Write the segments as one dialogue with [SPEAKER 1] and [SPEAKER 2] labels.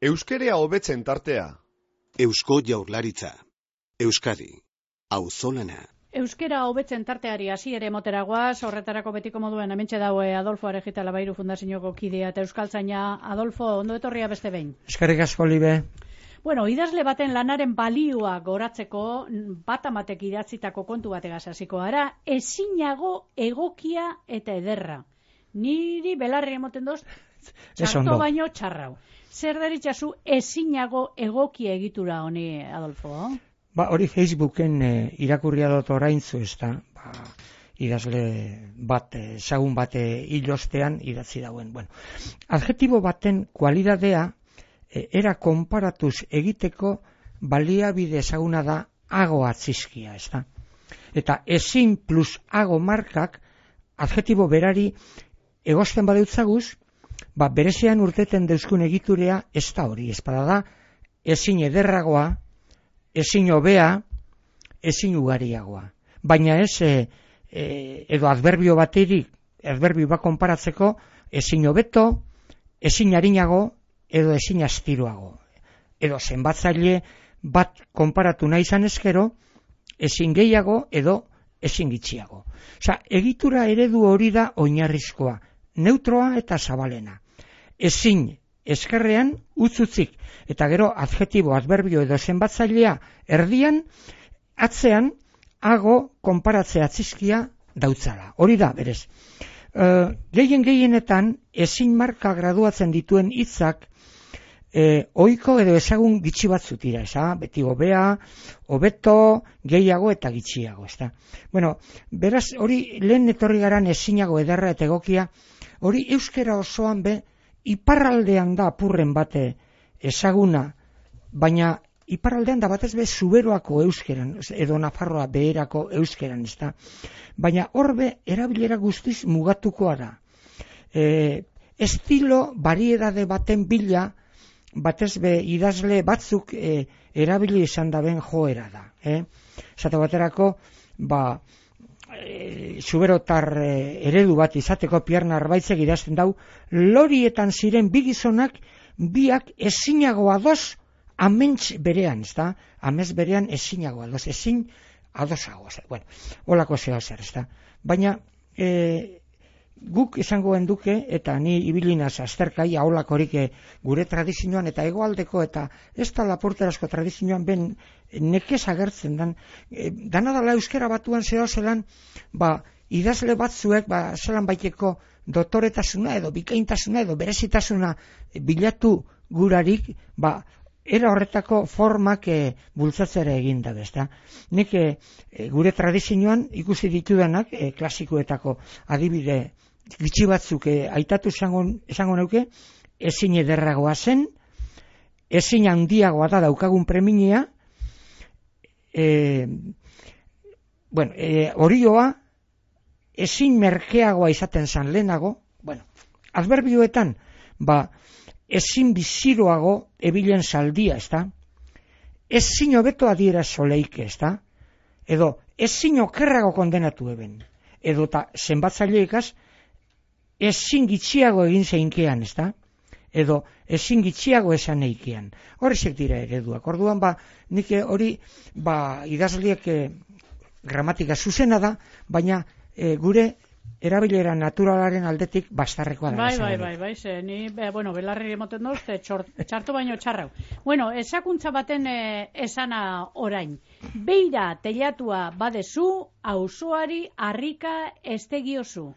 [SPEAKER 1] Euskerea hobetzen tartea.
[SPEAKER 2] Eusko Jaurlaritza. Euskadi. Auzolana.
[SPEAKER 3] Euskera hobetzen tarteari hasiere moteragoaz, horretarako betiko moduen hementxe daue Adolfo Arejita Labairu Fundazioko kidea eta euskaltzaina. Adolfo, ondo etorria beste behin.
[SPEAKER 4] Eskerrik asko, Libe.
[SPEAKER 3] Bueno, idazle baten lanaren balioa goratzeko bat amatek idatzitako kontu bategaz hasiko gara, ezinago egokia eta ederra. Niri belarri emoten doz, txarto baino txarrau. Zer deritzazu ezinago egokia egitura honi, Adolfo?
[SPEAKER 4] Hori Facebooken irakurria dut oraintzu, ez da, idazle bat, ezagun bat hilostean idatzi dauen. Bueno, adjektibo baten kualidadea era konparatuz egiteko baliabide ezaguna da ago atzizkia, ez da. Eta ezin plus ago markak adjektibo berari egosten badeutzaguz, berezean urteten deuzkun egiturea ez da hori, ez da ezin ederragoa, ezin hobea, ezin ugariagoa. Baina ez, edo adverbio baterik, adverbio bat konparatzeko, ezin hobeto, ezin arinago, edo ezin astiroago. Edo zenbatzaile bat konparatu nahi izan ezkero, ezin gehiago, edo ezin gitxiago. Osa, egitura eredu hori da oinarrizkoa, neutroa eta zabalena. Ezin eskerrean utzutzik, eta gero adjektibo, adverbio edo zenbatzailea erdian, atzean, ago konparatze atzizkia dautzala. Hori da, berez. Gehienetan, ezin marka graduatzen dituen hitzak, ohiko edo ezagun gitxi batzut dira, beti hobea, hobeto, gehiago eta gitxiago, ez da. Bueno, beraz, hori lehen etorri garan ezinago ederra eta egokia, hori euskera osoan iparraldean da apurren bate ezaguna, baina iparraldean da batez zuberoako euskeran, edo Nafarroa beherako euskeran, ez da. Baina horbe erabilera guztiz mugatukoa da. Estilo bariedade baten bila, batez idazle batzuk erabili izan da ben joera da. Zate baterako, zuberotar eredu bat izateko Pierna Arbaitzek idazten dau, lorietan ziren bi gizonak biak ezinago ados aments berean, ez da? Amets berean ezinago ados, ezin adosago. Bueno, holako zeo zer, ez da? Baina guk izangoen duke, eta ni ibilinaz azterkai, aholakorik gure tradizioan eta hegoaldeko eta ez da Laporterasko tradizioan ben nekez agertzen dan, dana dala euskera batuan zeo zelan, idazle batzuek, zelan baiteko dotoretasuna edo bikaintasuna edo berezitasuna bilatu gurarik, era horretako formak bultzatzera egin da, ezta. Nik gure tradizioan ikusi ditudanak, klasikoetako adibide gitxi batzuk aitatu esango neuke, ezin ederragoa zen, ezin handiagoa da daukagun preminia, orioa, ezin merkeagoa izaten zan lehenago, adverbioetan, ezin biziroago ebilen zaldia, ez da? Ezin hobeto adiera soleike, ez da? Edo, ezin okerrago kondenatu eben. Edo, eta zenbatzaileikaz, ezin gitxiago egin zeinkean, ez da? Edo, ezin gitxiago esan eikean. Horrezek dira ereduak. Orduan, nik hori, idazliek gramatika zuzena da, baina gure erabilera naturalaren aldetik bastarrekoa da.
[SPEAKER 3] Bai, ni, belarri emoten doz, txarto baino txarrau. Bueno, esakuntza baten esana orain. Beira teilatua badezu, auzoari harrika estegiozu.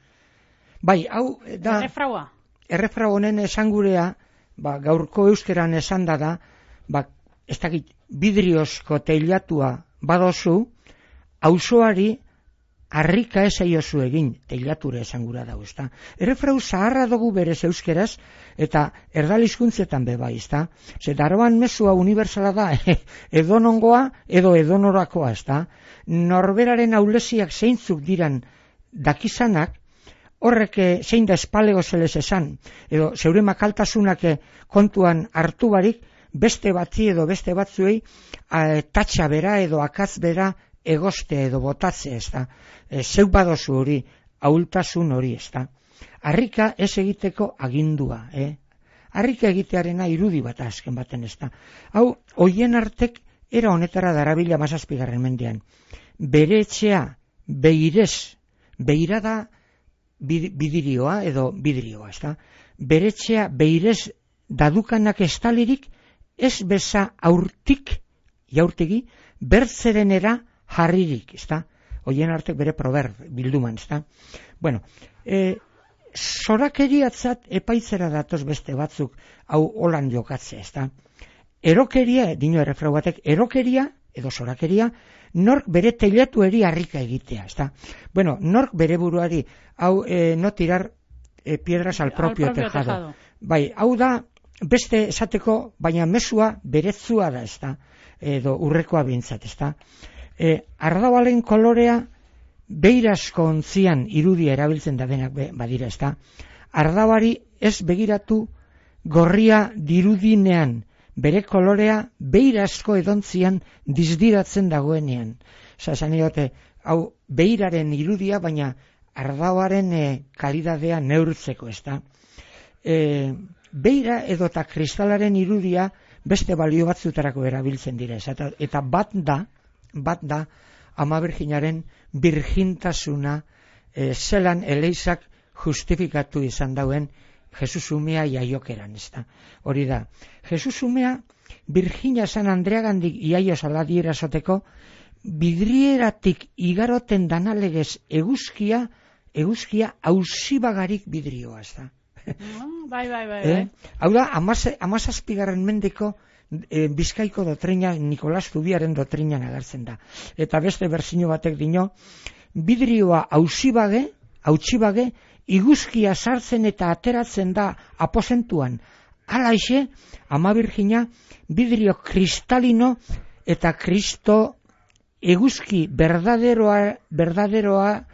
[SPEAKER 4] Bai, hau da... Errefrau honen esangurea, gaurko euskeran esan da, ez dakit, vidriozko teilatua badozu, auzoari harrika ez aiozu egin, teilatura esangura dago, ez da. Errefrau zaharra dugu berez euskeraz, eta erdalizkuntzetan bai, ez da. Daroan mezua unibertsala da, edonongoa edo edonorakoa, ez da. Norberaren aulesiak zeintzuk diran dakizanak, horrek zein da espalego zelez esan, edo zeure makaltasunak kontuan hartu barik, beste batzi edo beste batzuei tatxa bera edo akatz bera egoste edo botatze, ez da. Zeu badozu hori, ahultasun hori, ez da. Harrika ez egiteko agindua, harrika egitearena irudi bat azken baten ez da. Hau, hoien artek era honetara darabila 17. mendean. Bere etxea beirez, beira da bidirioa edo bidrioa, ez da? Bere etxea beirez dadukanak estalirik, ez beza aurtik, jaurtegi, bertzerenera jarririk, ez da? Hoien artek bere proverb, bilduman, ez da? Bueno, zorakeriatzat epaitzera datoz beste batzuk, hau holan jokatzea, ez da? Erokeria, dino errefrau batek, erokeria edo zorakeria, nork bere teilatueri harrika egitea, ez da? Bueno, nork bere buruari, hau no tirar piedras al propio tejado. Bai, hau da, beste esateko, baina mezua berezua da, ez da? Edo urrekoa bintzat, ez da? Ardabalen kolorea beirazko ontzian irudia erabiltzen da denak badira, ez da? Ardabari ez begiratu gorria dirudinean, bere kolorea beirazko edontzian dizdiratzen dagoenean. Esan diote, hau beiraren irudia, baina ardabaren kalidadea neurtzeko, ez da? Beira edota kristalaren irudia beste balio batzutarako erabiltzen dira, eta bat da Ama Birjinaren birjintasuna zelan Eleizak justifikatu izan dauen Jesus umea jaiokeran, ez da. Hori da, Jesus umea Birjina San Andreagandik iaio saladiera esoteko bidrieratik igaroten danalegez eguzkia hausibagarik bidrioa, ez da.
[SPEAKER 3] Bai.
[SPEAKER 4] Hau da, 17. mendeko Bizkaiko dotrina, Nikolas Zubiaren dotrinan agertzen da. Eta beste berzino batek dino, bidrioa hautsibage, iguzkia sartzen eta ateratzen da aposentuan. Halaixe, Ama Birjina, bidrio kristalino eta Kristo eguzki berdaderoa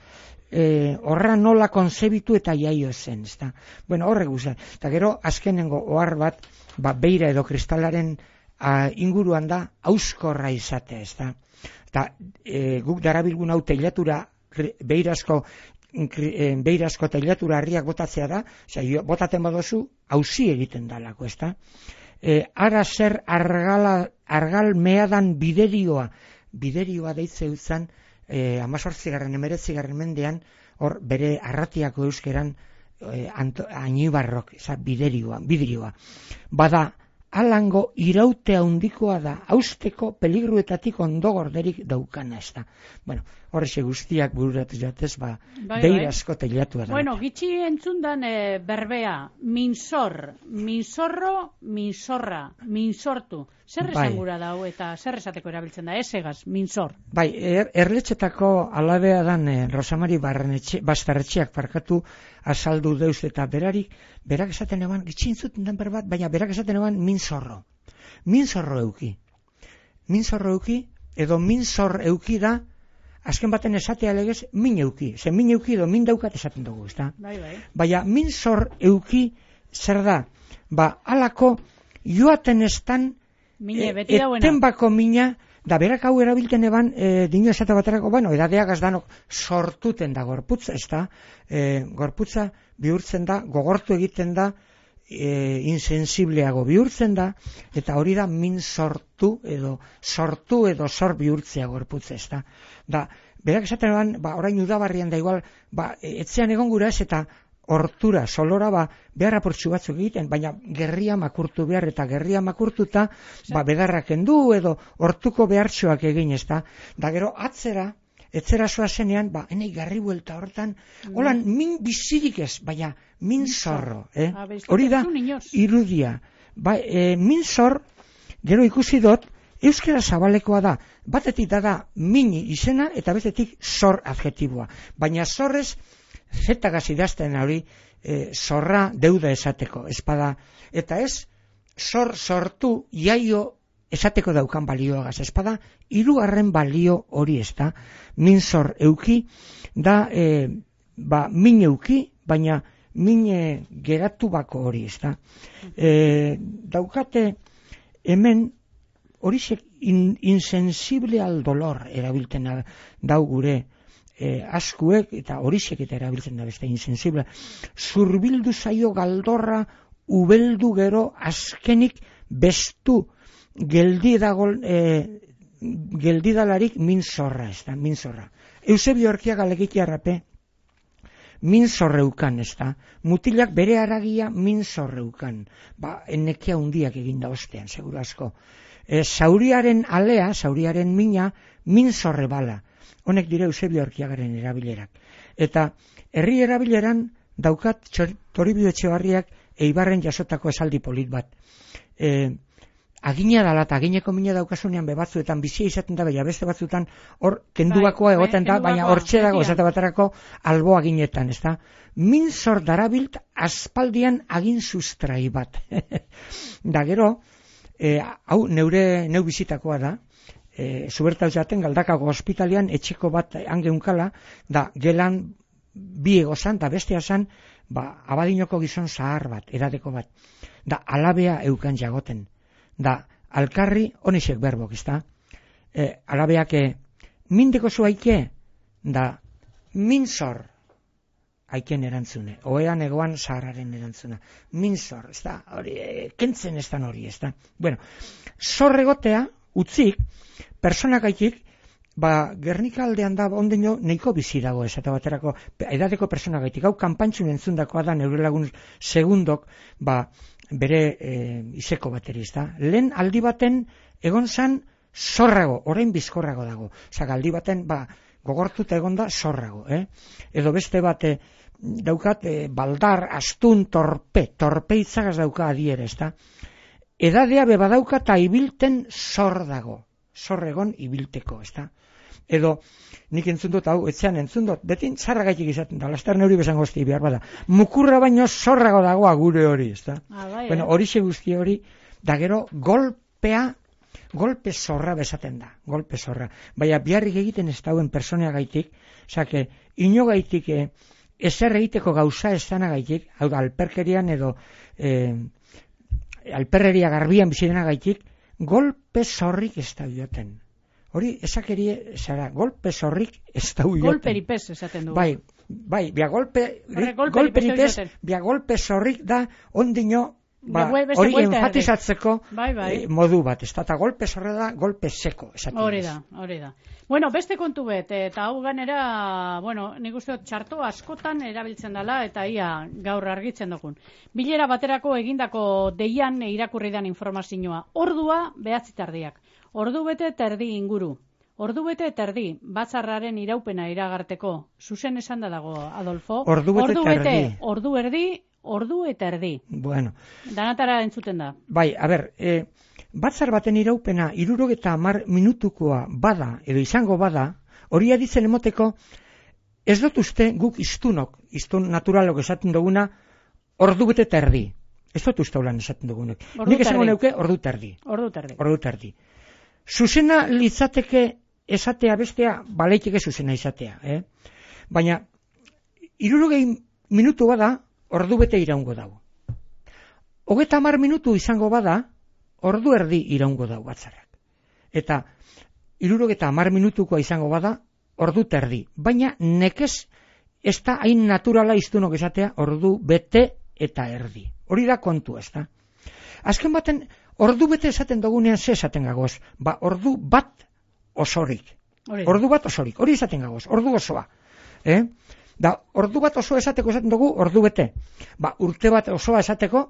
[SPEAKER 4] horra nola konzebitu eta jaio zen, ezta. Bueno, horrek guzti. Eta gero, azkenengo ohar bat, beira edo kristalaren inguruan da, auskorra izatea, ezta. Eta guk darabilgun hau teilatura, beirazko teilatura harriak botatzea da, botaten badozu, hausi egiten dalako, ezta. Ara zer argal meadan biderioa deitze utzan, 18. 19. mendean, hor bere arratiako euskeran Añibarrok, bidrioa. Bada, alango irautea handikoa da, hausteko peligruetatik ondo gorderik daukana, ez da. Bueno, horrexe guztiak bururatu jatez, beirazko teilatua da.
[SPEAKER 3] Bueno, gitxi entzundan berbea, minsorro, minsorra, minsortu. Zer esan gura dau eta zer esateko erabiltzen da, esegaz, minsor? Bai,
[SPEAKER 4] erletxetako alabea dan Rosamari Bastarretxeak parkatu azaldu deuz eta berak esaten eban, gitxi entzuten den berbat, baina berak esaten eban minsorro. Minsorro euki, edo minsor euki da, azken baten esatea legez, min euki. Ze min euki edo min daukat esaten dugu, ezta?
[SPEAKER 3] Bai.
[SPEAKER 4] Baina minsor euki zer da? Alako joaten estan etenbako mina, da berak hau erabilten eban, dino esate baterako, edadeak azdanok sortuten da gorputza, ezta? Gorputza bihurtzen da, gogortu egiten da, insensibleago bihurtzen da, eta hori da min sortu edo sor bihurtzea gorputza, ezta? Da, berak esaten eban, orain udabarrian da igual, etzean egon gura ez, eta hortura, solora, behar apurtxu batzuk egiten, baina gerria makurtu behar, eta gerria makurtuta, bedarrak endu, edo hortuko behartxoak egin, ezta? Da, gero, etzera zoa zenean, enei garri buelta hortan, holan, min bizirik ez, baina min zorro, hori da, irudia. Min zor, gero ikusi dut, euskera zabalekoa da, batetik da mini izena, eta bestetik zor adjetiboa. Baina zorrez, zetagaz idazten hori, zorra deuda esateko, espada, eta ez, sortu jaio esateko daukan balioagaz, espada, hirugarren balio hori ez da, minzor euki, da, min euki, baina min geratu bako hori ez da. Daukate, hemen, horizek insensible al dolor erabilten dau gure askuek, eta horizek eta erabiltzen da beste insensible. Zurbildu zaio galdorra ubeldu gero azkenik bestu geldidalarik minzorra, ez da, minzorra. Eusebio Erkiaga legitiarrape, minzorreukan, ez da, mutilak bere haragia minzorreukan, ennekia hundiak eginda ostean, seguru asko. Zauriaren alea, zauriaren mina, minzorre bala. Honek dire Eusebio Erkiagaren erabilerak. Eta herri erabileran daukat Toribio Etxebarriak Eibarren jasotako esaldi polit bat. Agina dala eta agineko mina daukasunean bebatzuetan bizia izaten da, baina beste batzuetan hor kenduakoa egoten da, baina hortxe dago esate baterako albo aginetan, ez da? Minzor darabilt aspaldian agin sustrai bat. Da gero, hau neu bizitakoa da, zubertau jaten Galdakako ospitalian etxeko bat angeunkala, da gelan bi egozan, da bestea zan, abadinoko gizon zahar bat, edadeko bat, da alabea eukan jagoten. Da, alkarri, honixek berbok, izta? Alabeak, mindeko zu aike, da, minzor, aiken erantzune, oean egoan zaharraren erantzuna. Minzor, ez da, hori, kentzen ez da hori, ez da. Bueno, zorregotea, utzik, personak aitik, Gernika aldean da, ondino, neiko bizi dago, ez eta baterako, edadeko personak aitik, hau kanpantxun entzundakoa da, neure lagun segundok, bere izeko bateri, ez da. Lehen aldi baten, egon zan, zorrago, orain bizkorrago dago. Osa, aldi baten, gogortuta egon da, zorrago, Edo beste bat, daukat, baldar, astun, torpe itzagaz dauka adiere, ez da. Edadea bebadauka eta ibilten zor dago. Zorregon ibilteko, ez da. Edo, nik entzundot, hau, etxean entzundot, betin zarragaitik izaten da, lastar neuri besan gozti behar bada. Mukurra baino zorrago dagoa gure hori, ez da. Bueno, horixe guzti hori, da gero, golpe zorra besaten da, golpe zorra. Baina, biharrik egiten ez dauen personea gaitik, osake, ino gaitik, ezer egiteko gauza ez dana gaitik, hau da, alperkerian edo, alperreria garbian bizidena gaitik, golpe zorrik ez da joten. Hori, esakerie, zara, golpe zorrik ez da joten.
[SPEAKER 3] Golperipez esaten dugu.
[SPEAKER 4] Bai, golpe zorrik da, ondino, hori enfatizatzeko modu bat, ez da, eta golpe zorra da, golpe seko.
[SPEAKER 3] Hori da. Bueno, beste kontu bet, eta hau ganera, nik uste txarto askotan erabiltzen dela, eta ia gaur argitzen dugun. Bilera baterako egindako deian irakurri dan informazioa. Ordua 9 tardiak. Ordu bete terdi inguru. Ordu bete terdi, batzarraren iraupena iragarteko. Zuzen esan da dago, Adolfo.
[SPEAKER 4] Ordu bete,
[SPEAKER 3] ordu erdi, ordu eta erdi.
[SPEAKER 4] Bueno.
[SPEAKER 3] Danatara entzuten da.
[SPEAKER 4] Bai, a ber, batzar baten iraupena 70 minutukoa bada, edo izango bada, hori aditzen emoteko, ez dut uste guk iztun naturalok esaten duguna, ordu bete terdi. Ez dut uste holan esaten dugunek. Nik esango neuke, ordu terdi. Zuzena litzateke esatea bestea, baleiteke zuzena izatea. Baina, 70 minutu bada, ordu bete iraungo dago. 30 minutu izango bada, ordu erdi iraungo dago batzarrak. Eta, 70 minutukoa izango bada, ordu terdi. Baina, nekez, ez da hain naturala iztunok esatea, ordu bete eta erdi. Hori da kontu, ez da. Azken baten, ordu bete esaten dugunean ze esaten gagoz. Ordu bat osorik. Hori esaten gagoz, ordu osoa. Da, ordu bat osoa esateko esaten dugu, ordu bete. Urte bat osoa esateko,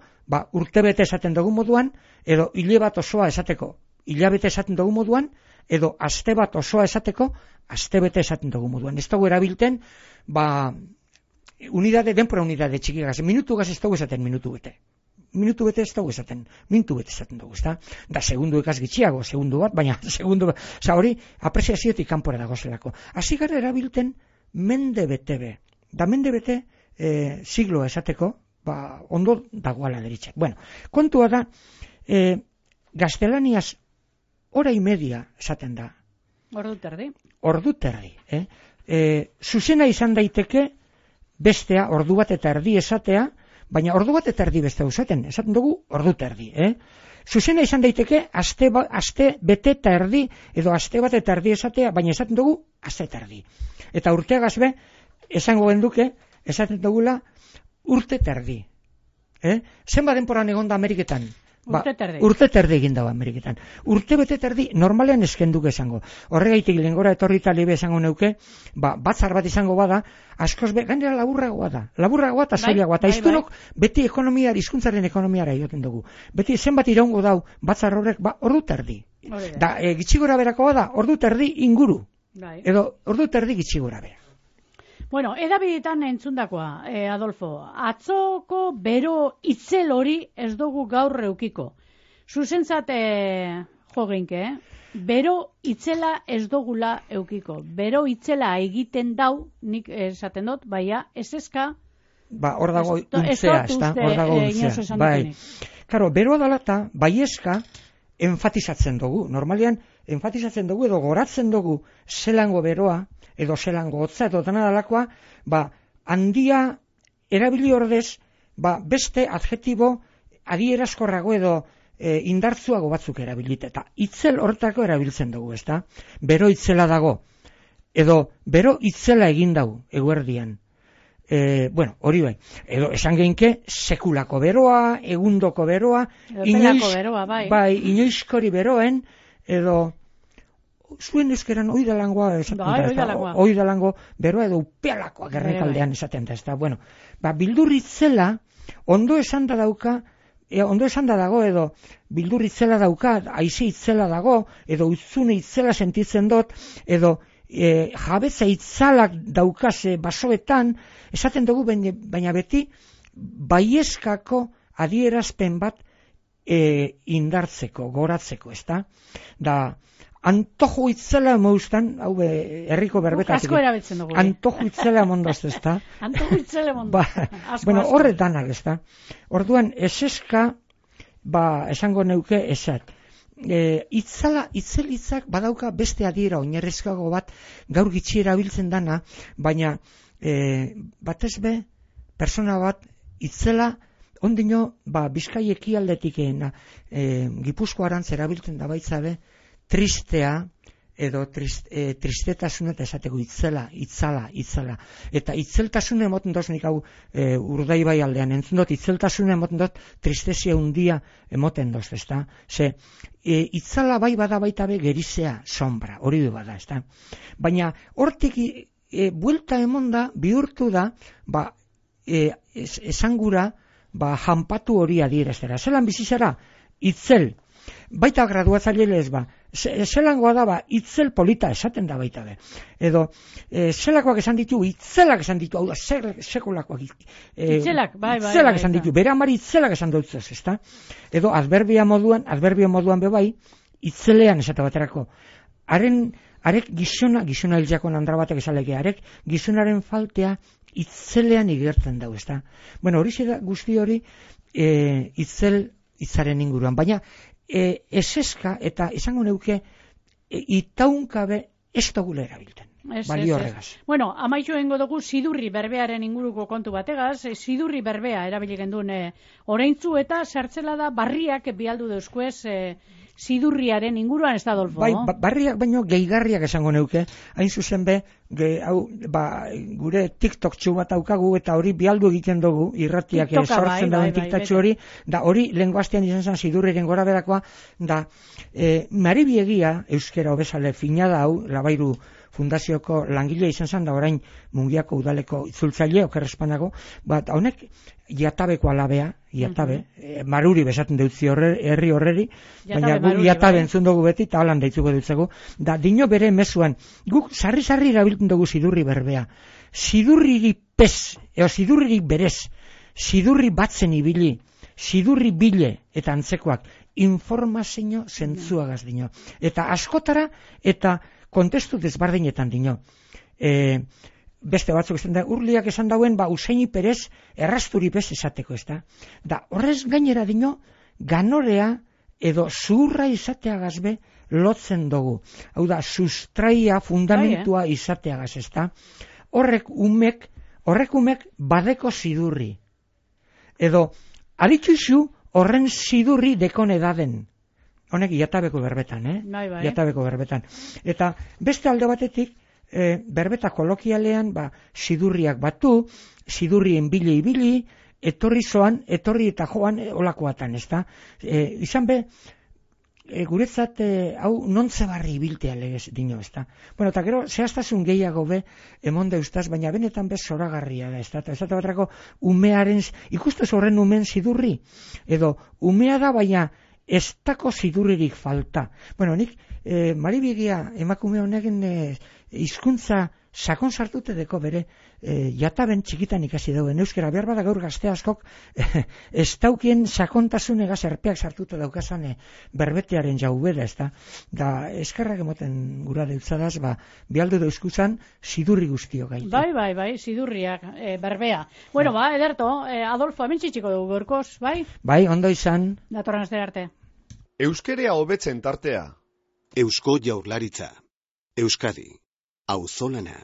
[SPEAKER 4] urte bete esaten dugu moduan, edo hile bat osoa esateko, hilabete esaten dugu moduan, edo aste bat osoa esateko, aste bete esaten dugu moduan. Ez dugu erabilten, denpora unidade txikigaz, minutu gaz ez dugu esaten minutu bete. Minutu bete ez dugu esaten, minutu bete esaten dugu, ezta? Da, segundu ekaz gitxiago, segundu bat, baina segundu bat, hori, apreziaziotik kanpora dago zelako. Hasi gara erabilten, mende bete be. Da, mende bete, sigloa esateko, ondo dagoala deritzak. Bueno, kontua da, gaztelaniaz, hora y media esaten da. Ordu terdi. Zuzena izan daiteke, bestea, ordu bat eta erdi esatea, baina ordu bat eta erdi beste esaten dugu ordu terdi. Zuzena izan daiteke aste bete eta erdi, edo aste bat eta erdi esatea, baina esaten dugu aste eta erdi. Eta urteagaz be, esango genduke, esaten dugula urte terdi. Zenbat denporan egon da Ameriketan?
[SPEAKER 3] Urte
[SPEAKER 4] terdi egin dago Ameriketan. Urte bete terdi normalean eskenduke esango. Horregaitik lengora etorri talibe esango neuke, batzar bat izango bada, askoz gainera laburragoa da. Laburragoa eta zailagoa. Eta iztunok beti hizkuntzaren ekonomiara joten dugu. Beti zenbat iraungo dau batzar horrek, ordu terdi. Da, gitxigora berakoa da, ordu terdi inguru. Edo ordu terdi gitxigora bera.
[SPEAKER 3] Bueno, edabidetan entzundakoa, Adolfo, atzoko bero itzel hori ez dugu gaur eukiko. Zuzentzat jo geinke, bero itzela ez dugula eukiko. Bero itzela egiten dau, nik esaten dut, baina ez eska...
[SPEAKER 4] hor dago untzea, hor dago untzea. Bai. Karo, beroa dalata, bai eska, enfatizatzen dugu. Normalean, enfatizatzen dugu edo goratzen dugu zelango beroa, edo zelango hotza, edo dena dalakoa, handia erabili ordez, beste adjetibo adierazkorrago edo indartzuago batzuk erabilit. Eta itzel horretako erabiltzen dugu, ezta? Bero itzela dago, edo bero itzela egin dago, eguerdian. Hori bai. Edo esan geinke, sekulako beroa, egundoko beroa, inoizkori beroen, edo... Zuen euskeran oidalangoa esaten da, oidalango beroa edo upealakoa gerrekaldean esaten da, bueno, bildurritzela ondo esan da dago edo bildurritzela dauka, aize itzela dago, edo utzune itzela sentitzen dut, edo jabetza itzalak daukase basoetan, esaten dugu, baina beti baieskako adierazpen bat indartzeko, goratzeko, ezta? Da, antojo itzela moustan, hau herriko berbetatik.
[SPEAKER 3] Asko erabiltzen dugu.
[SPEAKER 4] Antojo itzela mondaz, ezta?
[SPEAKER 3] Antojo itzela mondaz.
[SPEAKER 4] Bueno, horretanak, ezta? Orduan, eseska, esango neuke esat. Itzelitzak badauka beste adiera oinarrizkoago bat gaur gitxi erabiltzen dana, baina batez be, persona bat itzela ondino, Bizkai ekialdetik Gipuzko arantz erabiltzen da baitzabe, tristea edo tristetasun eta esateko itzela. Eta itzeltasune emoten doz nik hau Urdaibai aldean entzun dut, itzeltasune emoten dut tristezia hundia emoten doz, ezta? Ze, itzala bai bada baita be gerizea sombra, hori du bada, ezta? Baina hortik buelta emonda bihurtu da, esangura, janpatu hori adieraztera. Zelan bizizara, itzel. Baita graduatzaile ez zelangoa da, itzel polita esaten da baita be. Edo, zelakoak esan ditu, itzelak esan ditu, hau da, sekulakoak.
[SPEAKER 3] Itzelak, bai.
[SPEAKER 4] Itzelak esan ditu, bere amari itzelak esan dutzez, ezta? Edo, adverbio moduan be bai, itzelean esate baterako. Arek gizona hiljakon andra batek esaleke, arek gizonaren faltea itzelean igertzen dau, ezta? Bueno, hori da guzti hori itzaren inguruan, baina eseska eta esango neuke itaunkabe ez dugula erabilten. Balio horregaz.
[SPEAKER 3] Bueno, amaitu egingo dugu sidurri berbearen inguruko kontu bategaz, sidurri berbea erabili genduen oraintzu eta zertzela da barriak bialdu deuskuez sidurriaren inguruan, ez da, Adolfo?
[SPEAKER 4] Bai, barriak baino gehigarriak esango neuke, hain zuzen be, gure TikTok txu bat daukagu eta hori bialdu egiten dugu, irratiak sortzen dauen TikTok hori, da hori lenguaztean izan zen sidurriren gora berakoa, da maribiegia euskera obesale finada hau, Labairu fundazioko langile izan zen, da orain Mungiako udaleko itzultzaile, okerrespanago, honek jatabeko alabea, maruri besaten deutzi herri horreri, baina guk jatabe entzun dugu beti, eta holan deitzuko dutzegu, da dino bere mezuan, guk sarri erabiltzen dugu sidurri berbea, sidurriri pez, sidurriri berez, sidurri batzen ibili, sidurri bile, eta antzekoak, informazio zentzuagaz dino, eta askotara, eta kontestu desbardinetan dino. Beste batzuk esan da, urliak esan dauen, Usaini Perez errasturi bez esateko, ez da? Da, horrez gainera dino, ganorea edo zuhurra izateagaz be lotzen dugu. Hau da, sustraia fundamentua izateagaz, ez da? Horrek umek badeko sidurri. Edo, aditxuxu horren sidurri dekon edaden. Honek jatabeko berbetan, Jatabeko berbetan. Eta beste alde batetik, berbeta kolokialean, sidurriak batu, sidurrien ibili, etorri zoan, etorri eta joan olakoatan, ez da? Izan be, guretzat hau nontze barri biltea legez dino, ez da? Bueno, eta gero, zehaztasun gehiago be, emon deustaz, baina benetan bez zoragarria da, ez da? Ez da batrako, umearen, ikustez horren umen zidurri, edo umea da, baina ez dako zidurririk falta. Bueno, nik, Maribigia emakume honegen hizkuntza sakon sartute deko bere jataben txikitan ikasi dauen euskera, behar bada gaur gazte askok ez daukien sakontasun egaz erpeak sartuta daukazan berbetearen jaubeda, ez da? Da, eskerrak emoten gura deutzadaz, bialdu dauzkuzan zidurri guztio gaitu.
[SPEAKER 3] Bai, zidurriak, berbea. Bueno, ederto, Adolfo, hemen txitxiko dugu gorkoz, bai?
[SPEAKER 4] Bai, ondo izan.
[SPEAKER 3] Datorren astera arte.
[SPEAKER 1] Euskerea hobetzen tartea.
[SPEAKER 2] Eusko Jaurlaritza. Euskadi. Auzolana.